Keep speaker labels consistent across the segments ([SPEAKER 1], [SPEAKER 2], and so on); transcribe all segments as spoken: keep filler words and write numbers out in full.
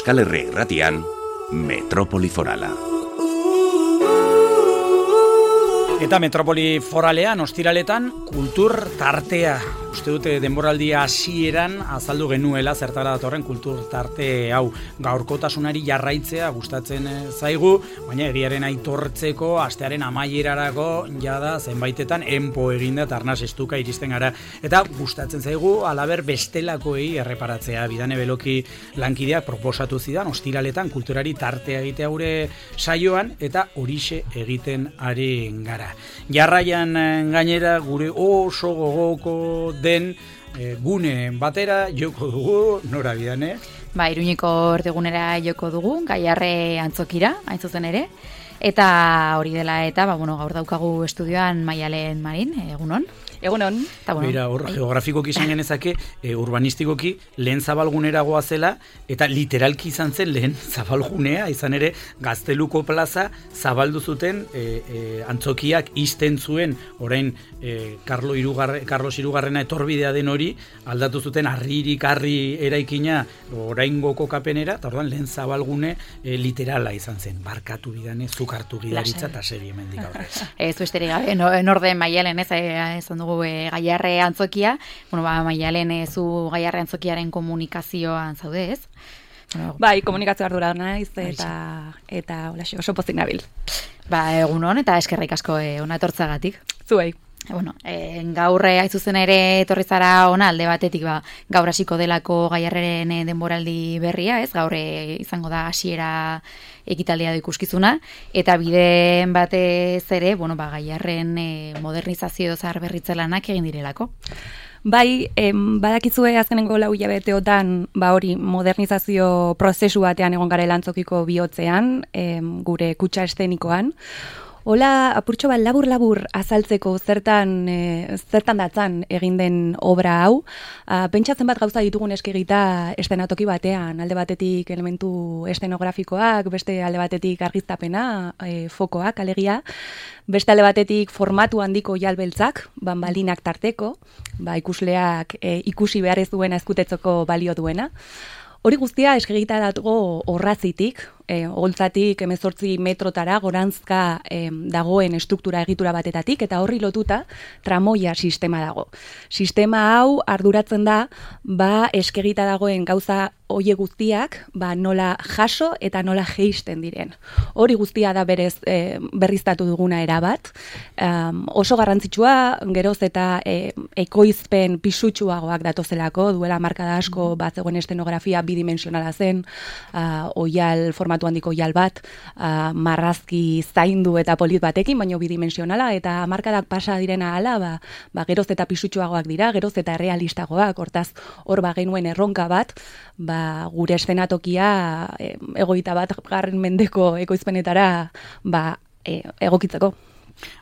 [SPEAKER 1] Euskal Herria Irratian, Metropoli Forala.
[SPEAKER 2] Eta Metropoli Foralean, ostiraletan, kultur tartea. Uste dute denboraldia hasieran azaldu genuela zertara datorren kultur tarte hau. Gaurkotasunari jarraitzea gustatzen zaigu, baina egiaren aitortzeko astearen amaierarako jada zenbaitetan enpo eginda eta arnaz estuka iristen gara. Eta gustatzen zaigu alaber bestelakoei erreparatzea. Bidane Beloki lankideak proposatu zidan ostiraletan kulturari tartea egitea gure saioan eta horixe egiten ari gara. Jarraian gainera gure oso gogoko den e, gune batera joko dugu, nora Bidane?
[SPEAKER 3] Ba, Iruñeko ordegunera joko dugu, Gaiarre antzokira, hain zuzen ere. Eta hori dela eta, ba, bueno, gaur daukagu estudioan Maialen Marin, egunon.
[SPEAKER 4] Egunon.
[SPEAKER 2] Bueno, Beira, hor, geografikoki izan genezake, e, urbanistikoki lehen zabalgunera goazela, eta literalki izan zen lehen zabalgunea, izan ere Gazteluko plaza zabaldu zuten e, e, antzokiak izten zuen, orain e, Carlo Irugarre, Carlos Irugarrena etorbidea den hori, aldatu zuten harririk harri eraikina orain goko kapenera, eta orduan lehen zabalgune e, literala izan zen. Barkatu Bidane, zuk hartu gidaritza eta segi hemendik aurrez.
[SPEAKER 3] Ez besterik gabe, norde Maialen, ez, ez ondo E, Gaiarre antzokia, bueno, ba, Maialen e, zu Gaiarre antzokiaren komunikazioan zaude, ez?
[SPEAKER 4] Bueno, bai, komunikazio ardura naiz eta eta holaxe oso pozik nabil.
[SPEAKER 3] Ba, egunon eta eskerrik asko e, ona etortzagatik.
[SPEAKER 4] Zuei.
[SPEAKER 3] Bueno, e, gaur hain zuzen ere etorri zara ona alde batetik ba, gaur hasiko delako Gaiarreren denboraldi berria, ez? Gaur e, izango da hasiera ekitaldia da ikuskizuna eta bideen batez ere, bueno, ba, Gaiarren e, modernizazio zahar berritze lanak egin direlako.
[SPEAKER 4] Bai, em, badakizue azkenengo lau hilabeteotan ba hori modernizazio prozesu batean egon garela antzokiko bihotzean, em, gure kutxa eszenikoan. Hola, apurtxo bat labur-labur azaltzeko zertan, e, zertan datzan egin den obra hau. A, pentsatzen bat gauza ditugun eskegita estenatoki batean, alde batetik elementu estenografikoak, beste alde batetik argiztapena, e, fokoak, alegia, beste alde batetik formatu handiko jalbeltzak, banbalinak tarteko, ba, ikusleak e, ikusi behar ez duena ezkutetzoko balio duena. Hori guztia eskegita datugu horrazitik, e, holtzatik hemezortzi metrotara gorantzka e, dagoen estruktura egitura batetatik, eta horri lotuta tramoia sistema dago. Sistema hau arduratzen da, ba eskegita dagoen gauza hoie guztiak, ba nola jaso eta nola jeisten diren. Hori guztia da berez e, berriztatu duguna erabat. Um, oso garrantzitsua, geroz eta e, ekoizpen pisutsuagoak datozelako, duela markada asko bat zegoen estenografia bidimensionala zen, uh, oial, formatu handiko oial bat, uh, marrazki zaindu eta polit batekin, baino bidimensionala, eta markadak pasa direna hala, ba, ba geroz eta pisutsuagoak dira, geroz eta realistagoak, hortaz hor ba genuen erronka bat, ba gure eszenatokia e, egoita bat garren mendeko ekoizpenetara ba, e, egokitzeko.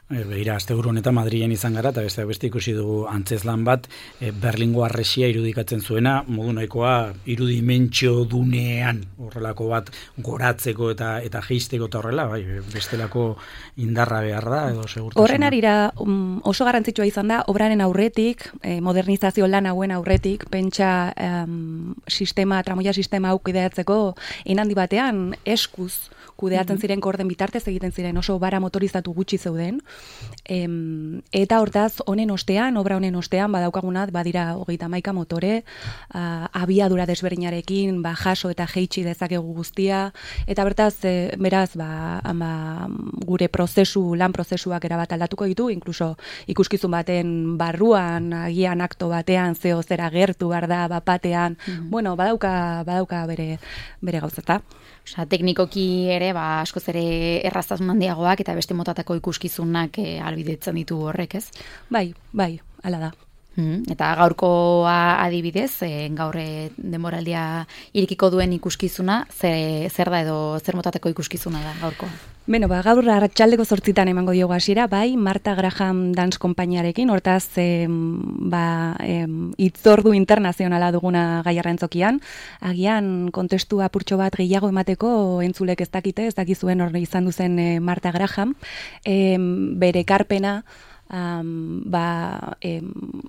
[SPEAKER 2] Beira, asteburu honetan Madrilen izan gara, eta beste beste ikusi dugu antzezlan bat, e, Berlingo harresia irudikatzen zuena, modu nahikoa irudimentsio dunean, horrelako bat goratzeko eta eta jeisteko eta horrela, bai, bestelako indarra behar da, edo segurtasuna.
[SPEAKER 4] Horren arira um, oso garrantzitsua izan da, obraren aurretik, eh, modernizazio lan hauen aurretik, pentsa um, sistema, tramoia sistema hau kudeatzeko, inhandi batean eskuz kudeatzen ziren korden bitartez egiten ziren, oso bara motorizatu gutxi zeuden. Em, eta hortaz, honen ostean, obra honen ostean, badaukagunat, badira hogeita hamaika motore, uh, abiadura desberdinarekin, ba, jaso eta jeitsi dezakegu guztia, eta bertaz, e, beraz, ba, ama, gure prozesu, lan prozesuak erabat aldatuko ditu, inkluso ikuskizun baten barruan, agian akto batean, zeo zera gertu, barda, bapatean, mm-hmm. bueno, badauka, badauka bere, bere gauzata.
[SPEAKER 3] Osa, teknikoki ere, ba, askoz ere erraztasun handiagoak eta beste motatako ikuskizunak e, albidetzen ditu horrek, ez?
[SPEAKER 4] Bai, bai, hala da.
[SPEAKER 3] Mm, eta gaurkoa adibidez, e, gaur denboraldia irikiko duen ikuskizuna, zer, zer da edo zer motateko ikuskizuna da gaurkoa?
[SPEAKER 4] Beno, ba, gaur arratsaldeko zortzitan emango diogu hasiera, bai, Marta Graham Dance konpainiarekin, hortaz, em, ba, em, itzordu internazionala duguna Gaiarre antzokian, agian kontestu apurtxo bat gehiago emateko entzulek ez dakite, ez dakizuen hor izan duzen e, Marta Graham, em, bere ekarpena, um, ba, e,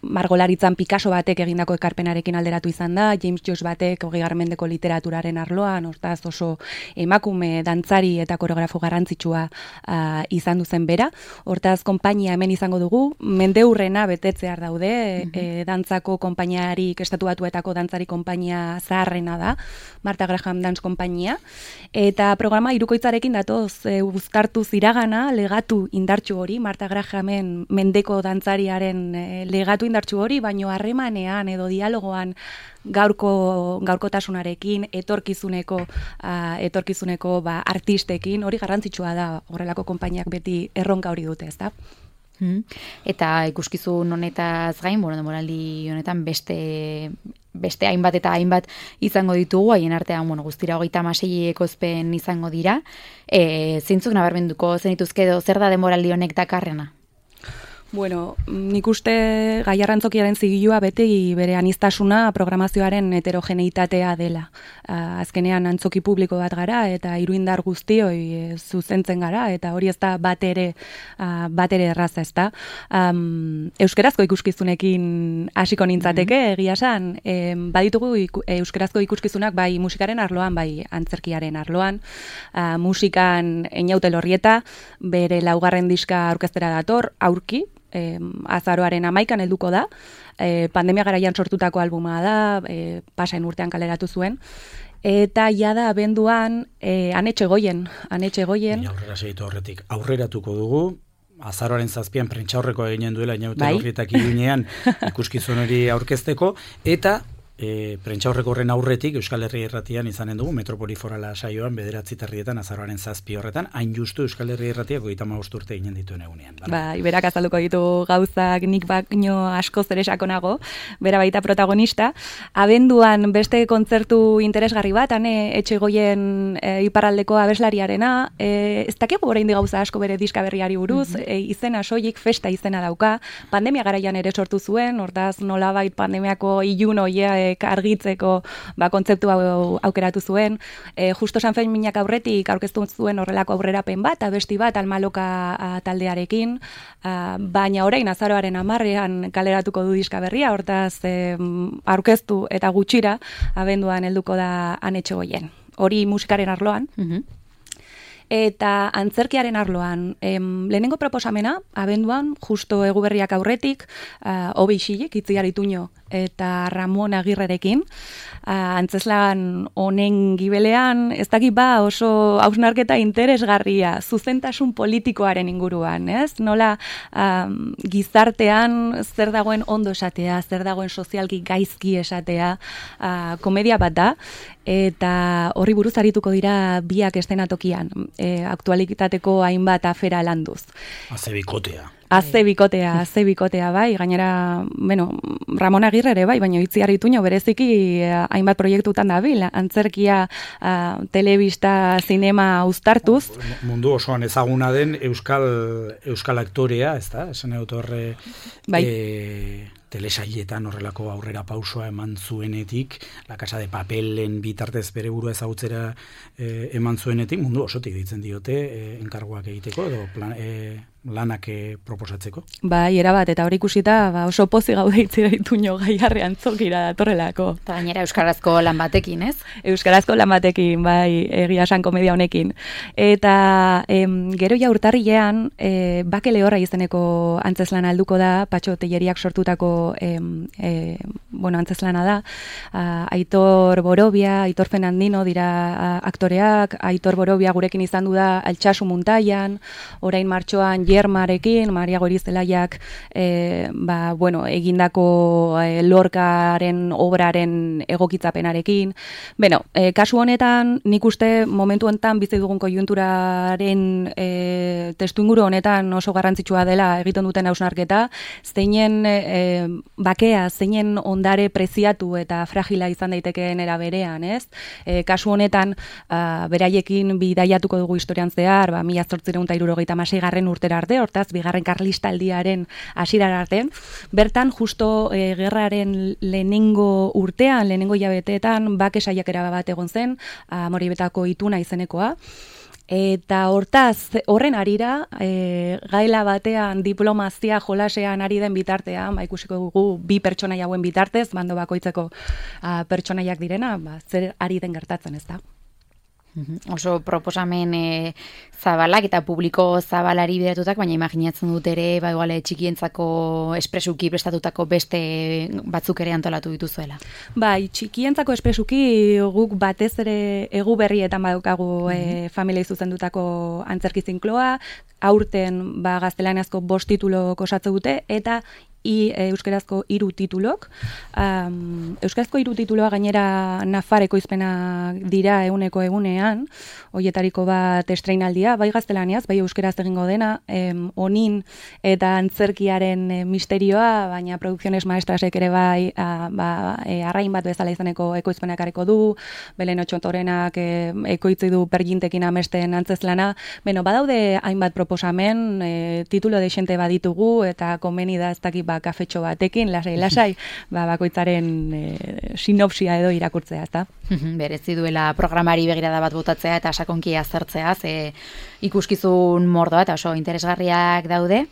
[SPEAKER 4] margolaritzan Picasso batek egindako ekarpenarekin alderatu izan da, James Joyce batek hogeigarren mendeko literaturaren arloan, hortaz oso emakume, dantzari eta koreografo garrantzitsua uh, izan duzen bera. Hortaz, konpainia hemen izango dugu, mendeurrena betetzear daude, mm -hmm. e, dantzako konpainiarik, estatu batuetako dantzari konpainia zaharrena da, Martha Graham Dance konpainia, eta programa hirukoitzarekin datoz, e, uztartuz iragana, legatu indartsu hori, Martha Grahamen mendeko dantzariaren e, legatu indartsu hori, baino harremanean edo dialogoan gaurko gaurkotasunarekin, etorkizuneko uh, etorkizuneko ba, artistekin, hori garrantzitsua da, horrelako konpainiak beti erronka hori dute, ezta?
[SPEAKER 3] Hmm. Eta ikuskizun honetaz gain, bueno, denboraldi honetan beste beste hainbat eta hainbat izango ditugu, haien artean, bueno, guztira hogeita hamasei ekoizpen izango dira. E, zeintzuk nabarmenduko zenituzke edo zer da denboraldi honek dakarrena?
[SPEAKER 4] Bueno, nik uste Gaiarrantzokiaren zigilua beti bere aniztasuna programazioaren heterogeneitatea dela. Uh, azkenean antzoki publiko bat gara eta iruindar guztioi e, zuzentzen gara eta hori ez da bat ere, uh, bat ere erraza ez da. Um, euskarazko ikuskizunekin hasiko nintzateke, mm-hmm. egia esan, e, baditugu iku, euskarazko ikuskizunak bai musikaren arloan, bai antzerkiaren arloan. Uh, musikan Einaute Lorrieta, bere laugarren diska aurkeztera dator, aurki, Eh, azaroaren amaikan helduko da, eh, pandemia garaian sortutako albuma da, eh, pasain urtean kaleratu zuen, eta jada abenduan eh, Anetxe Goien, Anetxe Goien.
[SPEAKER 2] Aurrera segitu horretik, aurreratuko dugu, azaroaren zazpian prentsaurreko eginen duela Einaute bai? Lorrietak iruñean ikuskizun hori aurkezteko, eta E, prentsaurreko horren aurretik Euskal Herria Irratian izanen dugu Metropoli Forala saioan bederatzi terrietan azaroaren zazpi horretan, hain justu Euskal Herria Irratiak hogeita hamabost urte ginen dituen egunean.
[SPEAKER 4] Ba, iberak azalduko ditu gauzak nik baino asko ere sakonago, bera baita protagonista. Abenduan beste kontzertu interesgarri bat, ane Etxegoien e, iparraldeko abeslariarena, e, ez dakigu oraindik gauza asko bere diska berriari buruz, mm-hmm. e, izena soilik festa izena dauka, pandemia garaian ere sortu zuen, hortaz nolabait pandemiako ilun hoia argitzeko ba, kontzeptu hau aukeratu zuen. E, justo Sanfen Minak aurretik aurkeztu zuen horrelako aurrerapen bat, abesti bat Almaloka a, taldearekin, a, baina orain azaroaren hamarrean kaleratuko du diska berria, hortaz e, aurkeztu eta gutxira abenduan helduko da Anetxe Goien. Hori musikaren arloan. Mm-hmm. Eta antzerkiaren arloan, em, lehenengo proposamena, abenduan, justo Eguberriak aurretik, uh, Obe Ixilik, Itziar Ituño eta Ramon Agirrerekin, uh, antzeslan honen gibelean, ez dakit ba oso hausnarketa interesgarria, zuzentasun politikoaren inguruan, ez? Nola um, gizartean zer dagoen ondo esatea, zer dagoen sozialki gaizki esatea, uh, komedia bat da, eta horri buruz arituko dira biak estenatokian, e, aktualitateko hainbat afera landuz.
[SPEAKER 2] Aze bikotea.
[SPEAKER 4] Aze bikotea, aze bikotea, bai, gainera, bueno, Ramon Agirre ere, bai, baina Itziar Ituño bereziki hainbat proiektutan dabil, antzerkia, uh, telebista, zinema uztartuz.
[SPEAKER 2] Mundu osoan ezaguna den euskal euskal aktorea, ez da? Esan egut horre... Bai. E, telesailetan horrelako aurrera pausoa eman zuenetik, La Casa de Papelen bitartez bere burua ezagutzera eh, eman zuenetik, mundu osotik ditzen diote eh, enkarguak egiteko edo plan, eh, lanak eh, proposatzeko.
[SPEAKER 4] Bai, erabat, eta hori ikusita ba, oso pozi gaude Itziar Ituño Gaiarre antzokira datorrelako.
[SPEAKER 3] Eta gainera euskarazko lan batekin, ez?
[SPEAKER 4] Euskarazko lan batekin, bai, egia esan komedia honekin. Eta em, gero ja urtarrilean, e, Bake Lehorra izeneko antzeslan alduko da, Patxo Telleriak sortutako E, e, bueno, antzeslana da, a, Aitor Borobia, Aitor Fernandino dira a, aktoreak, Aitor Borobia gurekin izan du da Altsasu Muntaian, orain martxoan Jermarekin, Maria Gorizelaiak e, ba, bueno, egindako e, Lorcaren obraren egokitzapenarekin. Beno, e, kasu honetan nik uste momentu honetan bizi dugun koiunturaren e, testuinguru honetan oso garrantzitsua dela egiten duten hausnarketa, zeinen e, bakea, zeinen ondare preziatu eta fragila izan daitekeen era berean, ez? E, kasu honetan, uh, beraiekin bidaiatuko dugu historian zehar, ba, mila zortziehun eta hirurogeita hamaseigarren urtera arte, hortaz, bigarren karlistaldiaren hasierara arte, bertan, justo e, gerraren lehenengo urtean, lehenengo hilabeteetan, bake saiakera bat egon zen, Amoribetako Ituna izenekoa, Eta hortaz, horren arira, e, gaila batean diplomazia jolasean ari den bitartean, ba, ikusiko dugu bi pertsonai hauen bitartez, bando bakoitzeko a, pertsonaiak direna, ba, zer ari den gertatzen, ez da?
[SPEAKER 3] Oso proposamen e, zabalak eta publiko zabalari bideratutak, baina imaginatzen dut ere, ba, igual, txikientzako espresuki prestatutako beste batzuk ere antolatu dituzuela.
[SPEAKER 4] Bai, txikientzako espresuki guk batez ere egu berrietan badaukagu e, familiei zuzendutako antzerki zinkloa, aurten ba, gaztelaniazko bost titulok osatze dute, eta I, e, euskerazko hiru titulok. Um, euskarazko hiru tituloa gainera Nafareko izpena dira eguneko egunean, hoietariko bat estreinaldia, bai gaztelaniaz, bai euskeraz egingo dena, em, onin eta antzerkiaren e, misterioa, baina Producciones Maestrasek ere bai a, ba, e, arrain bat bezala izaneko ekoizpenak areko du, Belen Otxontorenak e, ekoitzi du pergintekin amesten antzezlana, beno, badaude hainbat proposamen, e, titulo desente baditugu, eta konbeni da ez dakit ba, kafetxo batekin, lasai-lasai, ba, bakoitzaren e, sinopsia edo irakurtzea, ezta?
[SPEAKER 3] Berezi duela programari begirada bat botatzea eta sakonki azertzea, ze ikuskizun mordoa eta oso interesgarriak daude.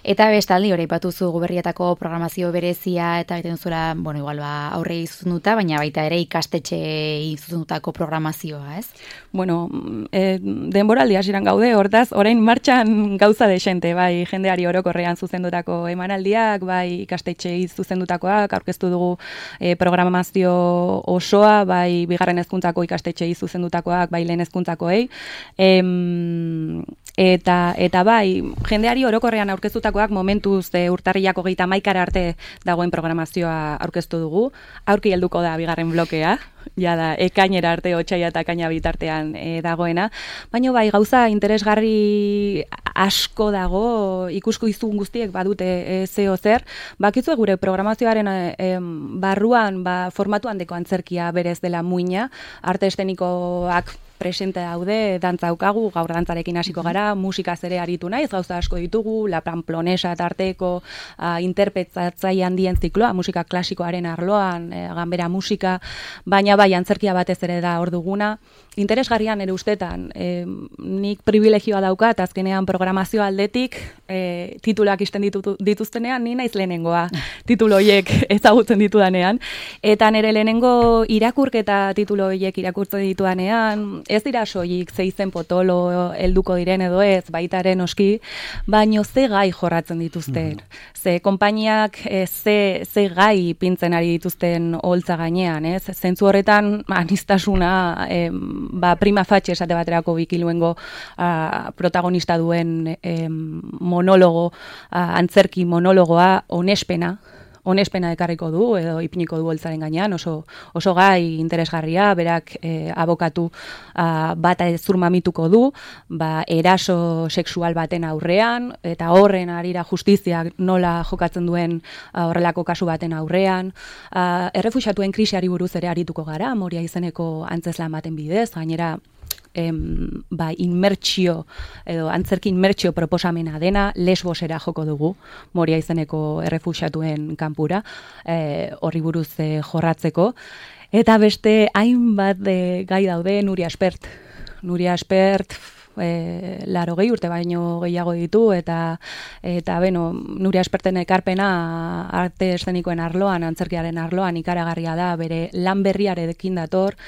[SPEAKER 3] Eta bestaldi, hori ipatuzu Guberrietako programazio berezia eta egiten zuela, bueno, igual ba, aurrei zuzenduta, baina baita ere ikastetxei zuzendutako programazioa, ez?
[SPEAKER 4] Bueno, e, denboraldi hasieran gaude, hortaz, orain martxan gauza desente, bai, jendeari orokorrean zuzendutako emanaldiak, bai, ikastetxei zuzendutakoak, aurkeztu dugu e, programazio osoa, bai, bigarren hezkuntzako ikastetxei zuzendutakoak, bai, lehen hezkuntzakoei, em, eta, eta bai, jendeari orokorrean aurkeztutako momentuz e, urtarrilako geita maikara arte dagoen programazioa aurkeztu dugu. Aurki helduko da bigarren blokea, ja da ekainera arte, otsaila eta ekaina bitartean e, dagoena. Baina bai, gauza interesgarri asko dago, ikusko izun guztiek badute e, zeo zer. Bakizu gure programazioaren e, barruan, ba, formatuan deko antzerkia berez dela muina, arte estenikoak presente daude, dantza daukagu, gaur dantzarekin hasiko gara, musikaz ere aritu naiz, gauza asko ditugu, La Pamplonesa tarteko uh, interpretatzaile handien zikloa, musika klasikoaren arloan, e, ganbera musika, baina bai antzerkia batez ere da hor duguna. Interesgarrian ere ustetan, e, nik privilegioa daukat, azkenean programazio aldetik, e, tituluak isten ditu, dituztenean, ni naiz lehenengoa titulo horiek ezagutzen ditudanean, eta nire lehenengo irakurketa titulo horiek irakurtzen ditudanean, ez dira soilik ze izen potolo helduko diren edo ez, baitaren oski, baino ze gai jorratzen dituzten. Mm-hmm. Ze konpainiak e, ze, ze gai pintzen ari dituzten holtza gainean, ez? Zentzu horretan anistasuna e, ba, prima facie esate baterako bikiluengo a, protagonista duen e, monologo, a, antzerki monologoa, onespena, onespena ekarriko du, edo ipiniko du holtzaren gainean, oso, oso gai interesgarria, berak e, abokatu a, bata zur mamituko du, ba, eraso sexual baten aurrean, eta horren arira justiziak nola jokatzen duen a, horrelako kasu baten aurrean. A, errefuxiatuen krisiari buruz ere arituko gara, Moria izeneko antzezlan baten bidez, gainera, Em, ba, inmertsio, edo antzerki inmertsio proposamena dena, Lesbosera joko dugu, Moria izeneko errefuxiatuen kanpura, e, horri buruz e, jorratzeko. Eta beste hainbat e, gai daude, Nuria Espert. Nuria Espert, e, laro gehi urte baino gehiago ditu, eta, eta beno, Nuria Esperten ekarpena arte eszenikoen arloan, antzerkiaren arloan ikaragarria da, bere lan berriarekin dator.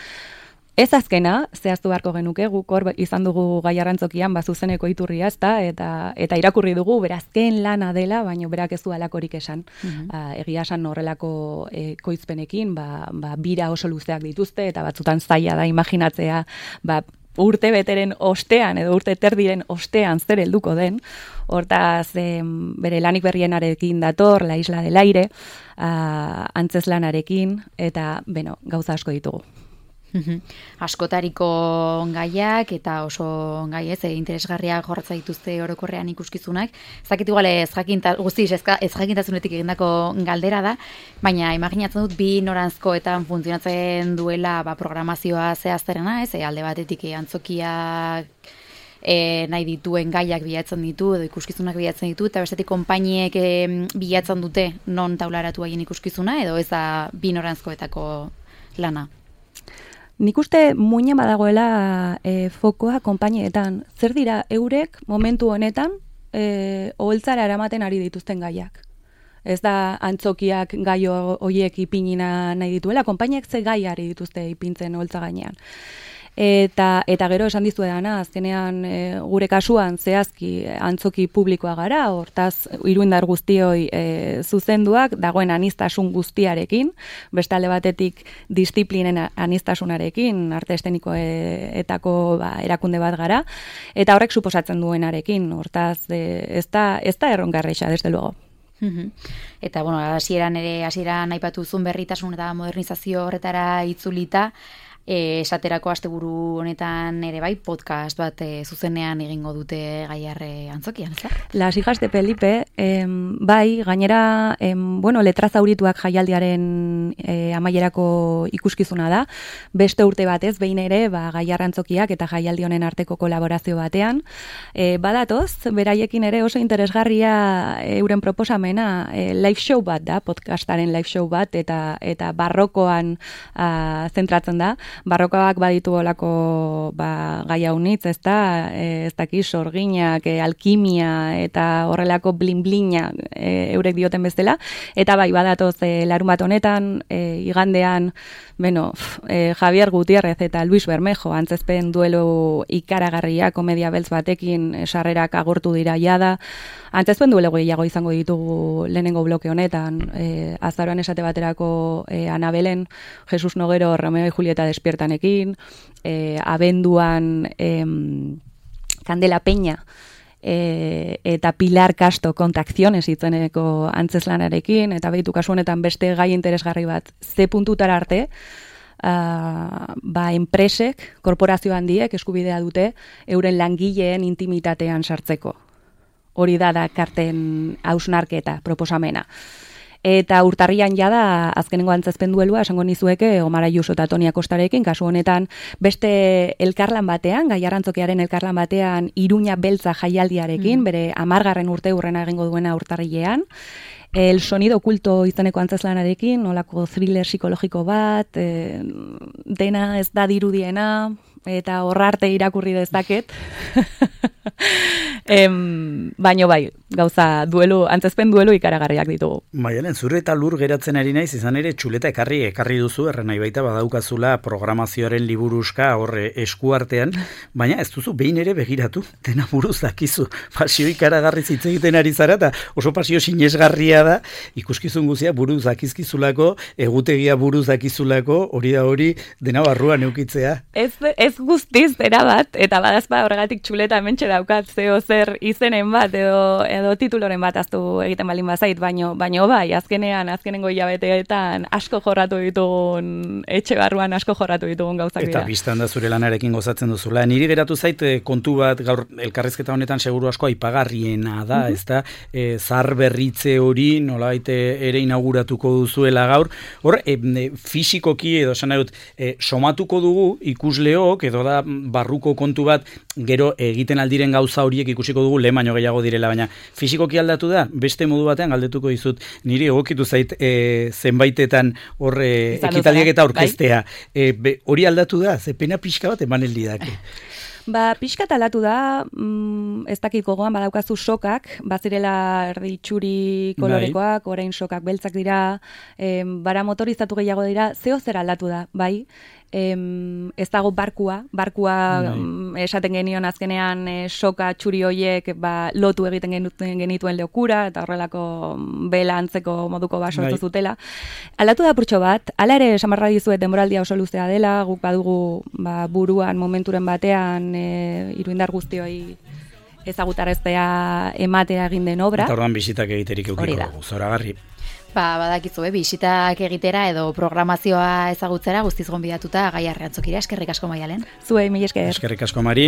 [SPEAKER 4] Ez azkena, zehaztu beharko genuke, guk hor izan dugu Gai Arrantzokian bazuzeneko iturria, ezta, eta eta irakurri dugu berazken lana dela, baino berak ez du alakorik esan. Mm-hmm. uh, egia esan horrelako e, koizpenekin, ba, ba, bira oso luzeak dituzte, eta batzutan zaila da imaginatzea, ba, urte beteren ostean, edo urte terdiren ostean zer helduko den. Hortaz, em, bere lanik berrienarekin dator, La Isla del Aire, uh, antzeslanarekin, eta, beno, gauza asko ditugu.
[SPEAKER 3] Askotariko gaiak eta oso gai ez, interesgarriak jorratza dituzte orokorrean ikuskizunak. Zakit igual ez jakinta, guztiz ez jakintasunetik egindako galdera da, baina imaginatzen dut bi noranzkoetan funtzionatzen duela ba, programazioa zehazterena, ez, alde batetik antzokiak E, nahi dituen gaiak bilatzen ditu edo ikuskizunak bilatzen ditu, eta bestetik konpainiek e, bilatzen dute non taularatu haien ikuskizuna, edo ez da bi noranzkoetako lana?
[SPEAKER 4] nik uste muina badagoela e, fokoa konpainietan. Zer dira eurek momentu honetan e, oholtzara eramaten ari dituzten gaiak? Ez da antzokiak gai horiek ipinina nahi dituela, konpainiak ze gai ari dituzte ipintzen oholtza gainean. Eta, eta gero esan dizuedana, azkenean e, gure kasuan zehazki antzoki publikoa gara, hortaz iruindar guztioi e, zuzenduak, dagoen anistasun guztiarekin, beste alde batetik disiplinen anistasunarekin, arte estenikoetako ba, erakunde bat gara, eta horrek suposatzen duenarekin, hortaz e, ez da, ez da errongarreixa, desde luego.
[SPEAKER 3] Eta, bueno, hasieran ere, hasieran aipatu zuen berritasun eta modernizazio horretara itzulita, E, esaterako asteburu honetan ere bai podcast bat e, zuzenean egingo dute Gaiarre antzokian, ez da?
[SPEAKER 4] Las hijas de Felipe, em, bai, gainera, em, bueno, letra zaurituak jaialdiaren e, amaierako ikuskizuna da, beste urte batez, behin ere, ba, Gaiarre antzokiak eta jaialdi honen arteko kolaborazio batean, e, badatoz, beraiekin ere oso interesgarria e, euren proposamena, e, live show bat da, podcastaren live show bat, eta, eta barrokoan a, zentratzen da, barrokoak baditu olako ba, gaia unitz, ez da, ez daki sorginak, e, alkimia eta horrelako blin-blina e, eurek dioten bezala, eta bai badatoz e, larun bat honetan, e, igandean, bueno, e, Javier Gutiérrez eta Luis Bermejo antzezpen duelo ikaragarria komedia beltz batekin e, sarrerak agortu dira jada, antzezpen duelo gehiago izango ditugu lehenengo bloke honetan, e, azaroan esate baterako e, Anabelen, Jesus Nogero, Romeo y Julieta despiertanekin, e, abenduan e, Candela Peña, E, eta Pilar Castro kontakziones itzeneko antzeslanarekin, eta behitu kasu honetan beste gai interesgarri bat ze puntutara arte, uh, ba enpresek, korporazio handiek eskubidea dute euren langileen intimitatean sartzeko. Hori da da karten hausnarketa proposamena. Eta urtarrian jada azkenengo antzezpen duelua esango nizueke Omar Ayuso eta Toni Acostarekin, kasu honetan beste elkarlan batean, Gaiarrantzokiaren elkarlan batean Iruña Beltza jaialdiarekin, mm. bere hamargarren urte urrena egingo duena urtarrilean. El sonido oculto izeneko antzeslanarekin, nolako thriller psikologiko bat, e, dena ez da dirudiena, eta horrarte irakurri dezaket. em, baino bai, gauza duelu, antzezpen duelu ikaragarriak ditugu.
[SPEAKER 2] Maialen, zure eta lur geratzen ari naiz, izan ere txuleta ekarri ekarri duzu, erren nahi baita badaukazula programazioaren liburuska horre eskuartean, baina ez duzu behin ere begiratu, dena buruz dakizu, pasio ikaragarri hitz egiten ari zara, eta oso pasio sinesgarria da, ikuskizun guzia buruz dakizkizulako, egutegia buruz dakizulako, hori da hori, dena barruan eukitzea.
[SPEAKER 4] Ez, ez guztiz, erabat, eta badazpa horregatik txuleta mentxe daukat, zeo zer izenen bat, edo, edo tituloren bat aztu egiten balin bazait, baino, baino bai, azkenean, azkenengo hilabeteetan asko jorratu ditugun, etxe barruan asko jorratu ditugun gauzak dira.
[SPEAKER 2] Eta biztan da zure lanarekin gozatzen duzula. Niri geratu zait kontu bat, gaur elkarrizketa honetan seguru asko aipagarriena da, mm-hmm. ez da, e, zar berritze hori nolabait ere inauguratuko duzuela gaur. Hor, e, e, fisikoki edo esan dut, e, somatuko dugu ikusleok, edo da barruko kontu bat, gero egiten aldiren gauza horiek ikusiko dugu lehen baino gehiago direla, baina fisikoki aldatu da, beste modu batean galdetuko dizut, niri egokitu zait e, zenbaitetan hor e, ekitaldiak eta orkestea. E, be, hori aldatu da, ze pena pixka bat eman eldidake.
[SPEAKER 4] Ba, pixka talatu da, mm, ez dakit gogoan badaukazu sokak, bazirela erdi txuri kolorekoak, orain sokak beltzak dira, em, bara motorizatu gehiago dira, zeo zer aldatu da, bai? Em, ez dago barkua, barkua em, esaten genion azkenean e, soka txuri hoiek ba, lotu egiten genituen, genituen leokura, eta horrelako bela antzeko moduko bat sortu zutela. Aldatu da purtxo bat, ala ere samarra dizuet denboraldia oso luzea dela, guk badugu ba, buruan momenturen batean e, iruindar guztioi ezagutaraztea ematea egin den obra.
[SPEAKER 2] Eta orduan bisitak egiterik eukiko dugu, zoragarri.
[SPEAKER 3] Ba, badakizu, eh, bisitak egitera edo programazioa ezagutzera guztiz gonbidatuta Gaiarre antzokira. Eskerrik asko Maialen.
[SPEAKER 4] Zuei, mila esker.
[SPEAKER 2] Eskerrik asko Mari.